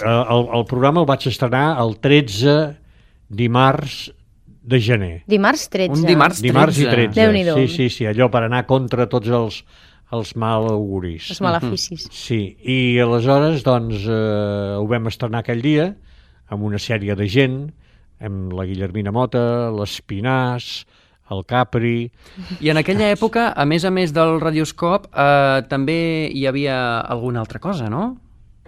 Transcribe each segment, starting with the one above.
El programa el vaig estrenar el 13 dimarts de gener. Dimarts 13. Un dimarts 13. Dimarts i 13. Déu-n'hi-do. Sí, allò per anar contra tots els mal auguris. Els maleficis. Sí, i aleshores doncs ho vam estrenar aquell dia amb una sèrie de gent, amb la Guillermina Mota, l'Espinàs, el Capri... I en aquella època, a més del Radioscop, també hi havia alguna altra cosa, no?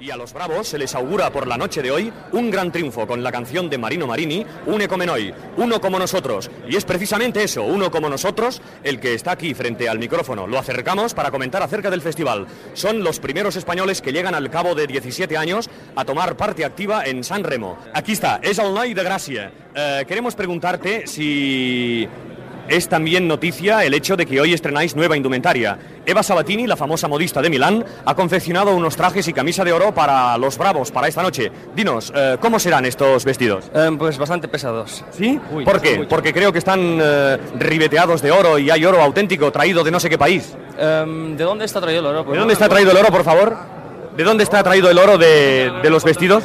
Y a los Bravos se les augura por la noche de hoy un gran triunfo con la canción de Marino Marini, Une come noi, uno como nosotros. Y es precisamente eso, uno como nosotros, el que está aquí frente al micrófono. Lo acercamos para comentar acerca del festival. Son los primeros españoles que llegan al cabo de 17 años a tomar parte activa en San Remo. Aquí está, es el noi de Gracia. Queremos preguntarte si... Es también noticia el hecho de que hoy estrenáis nueva indumentaria. Eva Sabatini, la famosa modista de Milán, ha confeccionado unos trajes y camisa de oro para los Bravos, para esta noche. Dinos, ¿cómo serán estos vestidos? Pues bastante pesados. ¿Sí? ¿Por qué? Porque creo que están ribeteados de oro y hay oro auténtico traído de no sé qué país. ¿De dónde está traído el oro? ¿De dónde está traído el oro, por favor? ¿De dónde está traído el oro de los vestidos?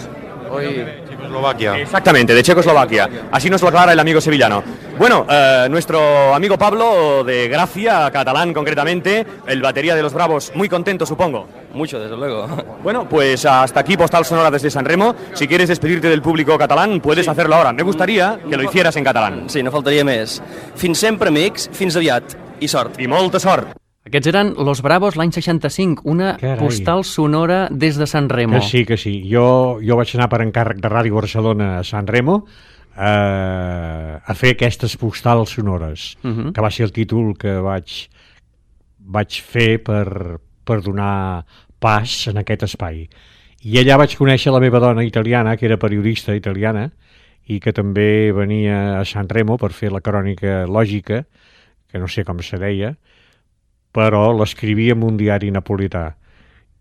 Hoy... Checoslovaquia. Exactamente, de Checoslovaquia. Así nos lo aclara el amigo sevillano. Bueno, nuestro amigo Pablo de Gracia, catalán concretamente, el batería de los Bravos, muy contento, supongo. Mucho, desde luego. Bueno, pues hasta aquí Postal Sonora desde San Remo. Si quieres despedirte del público catalán, puedes hacerlo ahora. Me gustaría que lo hicieras en catalán. Sí, no faltaria més. Fins sempre, amics, fins aviat. I sort. I molta sort. Aquests eren Los Bravos l'any 65, una Carai. postal sonora des de San Remo. Que sí. Jo vaig anar per encàrrec de Ràdio Barcelona a San Remo a fer aquestes postals sonores, que va ser el títol que vaig fer per donar pas en aquest espai. I allà vaig conèixer la meva dona italiana, que era periodista italiana, i que també venia a San Remo per fer la crònica lògica, que no sé com se deia, però l'escrivia en un diari napolità.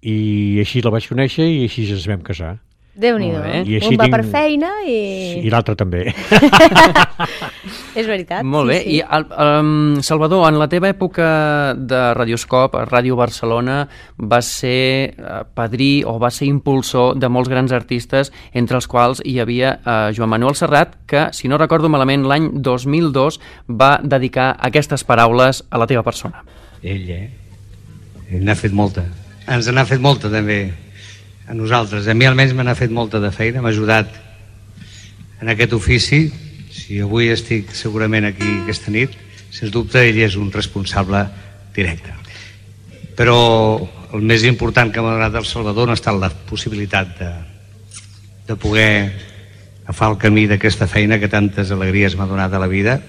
I així la vaig conèixer i així ens vam casar. Déu-n'hi-do. I així Un va per feina i... I l'altre també. És veritat. Molt bé. Sí. I Salvador, en la teva època de Radioscop, Ràdio Barcelona, va ser padrí o va ser impulsor de molts grans artistes, entre els quals hi havia Joan Manuel Serrat, que, si no recordo malament, l'any 2002 va dedicar aquestes paraules a la teva persona. Ell n'ha fet molta. Ens n'ha fet molta, també, a nosaltres. A mi almenys me n'ha fet molta de feina, m'ha ajudat en aquest ofici. Si avui estic segurament aquí aquesta nit, sens dubte ell és un responsable directe. Però el més important que m'ha donat el Salvador no ha estat la possibilitat de poder agafar el camí d'aquesta feina que tantes alegries m'ha donat a la vida.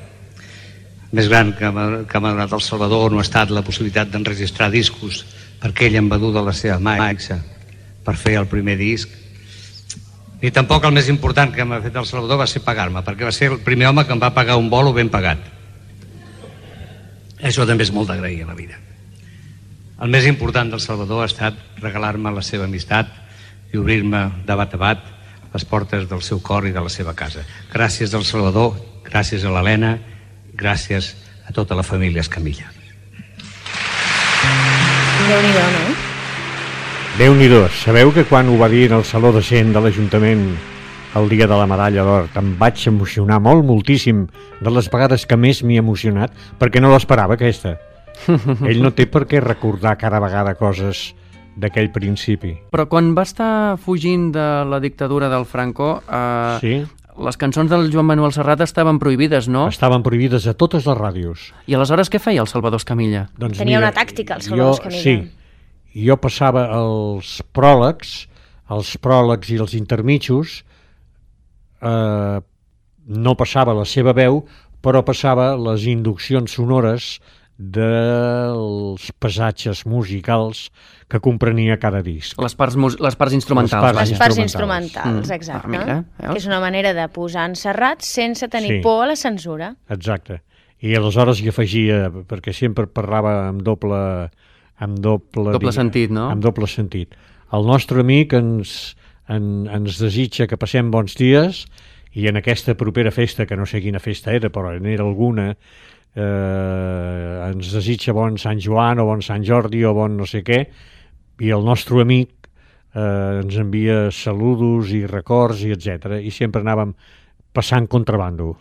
El més gran que m'ha donat el Salvador no ha estat la possibilitat d'enregistrar discos, perquè ell em va dur de la seva mà per fer el primer disc, ni tampoc el més important que m'ha fet el Salvador va ser pagar-me, perquè va ser el primer home que em va pagar un bolo ben pagat. Això també és molt d'agrair a la vida. El més important del Salvador ha estat regalar-me la seva amistat i obrir-me de bat a bat les portes del seu cor i de la seva casa. Gràcies al Salvador, gràcies a l'Helena, gràcies a tota la família Escamilla. Déu-n'hi-do, no? Déu-n'hi-do. Sabeu que quan ho va dir en el Saló de Cent de l'Ajuntament el dia de la medalla d'or em vaig emocionar moltíssim, de les vegades que més m'he emocionat, perquè no l'esperava aquesta. Ell no té per què recordar cada vegada coses d'aquell principi. Però quan va estar fugint de la dictadura del Franco, Sí? les cançons del Joan Manuel Serrat estaven prohibides, no? Estaven prohibides a totes les ràdios. I aleshores què feia el Salvador Escamilla? Doncs Tenia mira, una tàctica, el Salvador Escamilla. Sí, jo passava els pròlegs i els intermitjos, no passava la seva veu, però passava les induccions sonores dels passatges musicals que comprenia cada disc. Les parts instrumentals. Les Les parts instrumentals, Mm. exacte. Mira, veus? Que és una manera de posar en Serrat sense tenir Sí. por a la censura. Exacte. I aleshores hi afegia, perquè sempre parlava amb doble sentit, no? Amb doble sentit. El nostre amic ens desitja que passem bons dies i en aquesta propera festa, que no sé quina festa era, però n'era alguna, ens desitja bon Sant Joan o bon Sant Jordi o bon no sé què, i el nostre amic ens envia saludos i records i etc. I sempre anàvem passant contrabando.